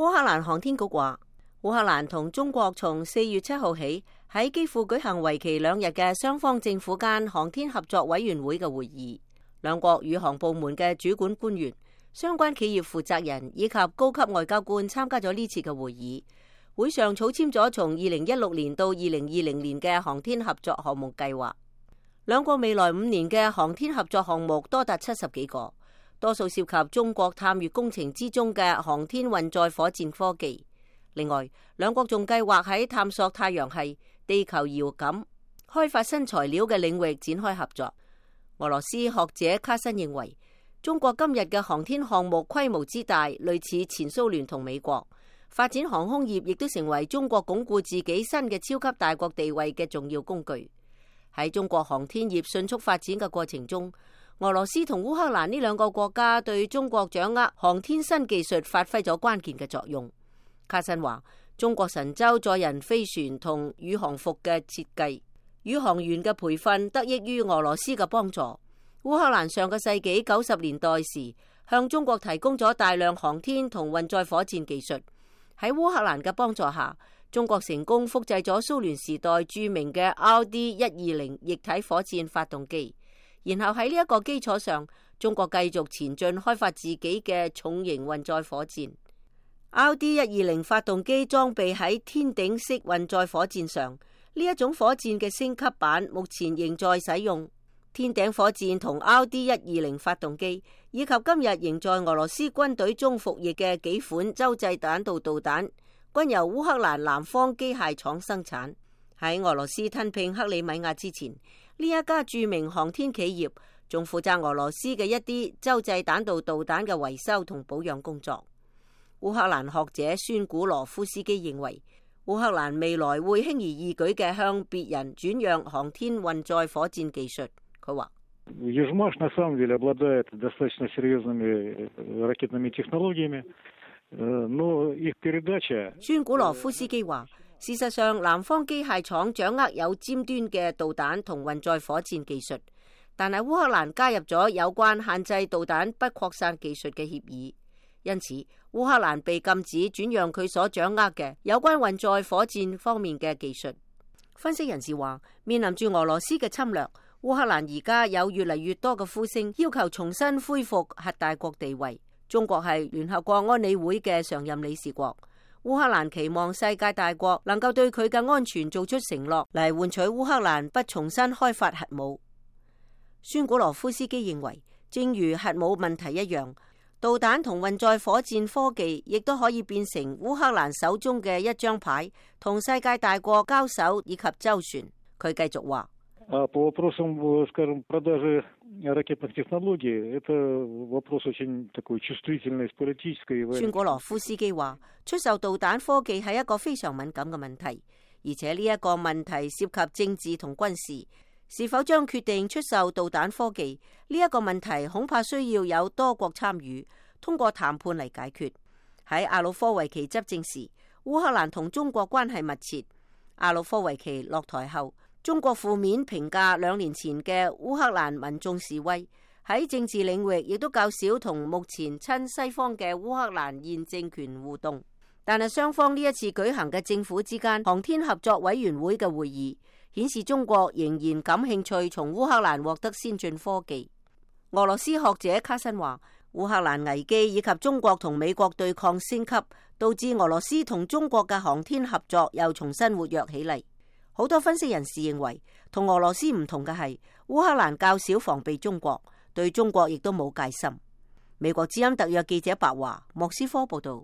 烏克蘭航天局話，烏克蘭同中國從4月7號起喺基輔舉行為期2日嘅雙方政府間航天合作委員會嘅會議，兩國宇航部門嘅主管官員、相關企業負責人以及高級外交官參加咗呢次嘅會議。會上草簽咗從2016年到2020年嘅航天合作項目計劃。兩國未來5年嘅航天合作項目多達70幾個，多數涉及中國探月工程之中嘅航天運載火箭科技。另外，兩國仲計劃喺探索太陽系、地球遙感、開發新材料嘅領域展開合作。俄羅斯學者卡申認為，中國今日嘅航天項目規模之大，類似前蘇聯同美國。發展航空業亦都成為中國鞏固自己新嘅超級大國地位嘅重要工具。喺中國航天業迅速發展嘅過程中，俄羅斯同烏克蘭呢兩個國家對中國掌握航天新技術發揮咗關鍵嘅作用。卡申話，中國神舟載人飛船同宇航服嘅設計、宇航員嘅培訓得益於俄羅斯嘅幫助。烏克蘭上個世紀90年代時向中國提供咗大量航天同運載火箭技術。喺烏克蘭嘅幫助下，中國成功複製咗蘇聯時代著名嘅 RD-120液體火箭發動機，然後喺呢一個基礎上，中國繼續前進開發自己嘅重型運載火箭。RD-120發動機裝備喺天頂式運載火箭上，呢一種火箭嘅升級版目前仍在使用。天頂火箭同 RD-120發動機，以及今日仍在俄羅斯軍隊中服役嘅幾款洲際彈道導彈，均由烏克蘭南方機械廠生產。喺俄羅斯吞併克里米亞之前，呢一家著名航天企業仲負責俄羅斯嘅一啲洲際彈道導彈嘅維修同保養工作。烏克蘭學者孫古羅夫斯基認為，烏克蘭未來會輕而易舉嘅向別人轉讓航天運載火箭技術。佢話：孫古羅夫斯基話，事實上，南方機械廠掌握有尖端嘅導彈同運載火箭技術，但係烏克蘭加入咗有關限制導彈不擴散技術嘅協議，因此烏克蘭被禁止轉讓佢所掌握嘅有關運載火箭方面嘅技術。分析人士話，面臨住俄羅斯嘅侵略，烏克蘭而家有越嚟越多嘅呼聲要求重新恢復核大國地位。中國係聯合國安理會嘅常任理事國，烏克蘭期望世界大國能夠對佢嘅安全做出承諾，嚟換取烏克蘭不重新開發核武。孫古羅夫斯基認為，正如核武問題一樣，導彈同運載火箭科技亦都可以變成烏克蘭手中嘅一張牌，同世界大國交手以及周旋。佢繼續話：孫古羅夫斯基話，出售導彈科技係一個非常敏感嘅問題，而且呢一個問題涉及政治同軍事。是否將決定出售導彈科技呢一個問題，恐怕需要有多國參與，通過談判嚟解決。喺亞努科維奇執政時，烏克蘭同中國關係密切。亞努科維奇落台後，中國負面評價2年前嘅烏克蘭民眾示威，喺政治領域亦都較少同目前親西方嘅烏克蘭現政權互動。但係雙方呢一次舉行嘅政府之間航天合作委員會嘅會議，顯示中國仍然感興趣從烏克蘭獲得先進科技。俄羅斯學者卡申話，烏克蘭危機以及中國同美國對抗升級，導致俄羅斯同中國嘅航天合作又重新活躍起嚟。好多分析人士認為，同俄羅斯唔同嘅係，烏克蘭較少防備中國，對中國亦都冇戒心。美國之音特約記者白華，莫斯科報道。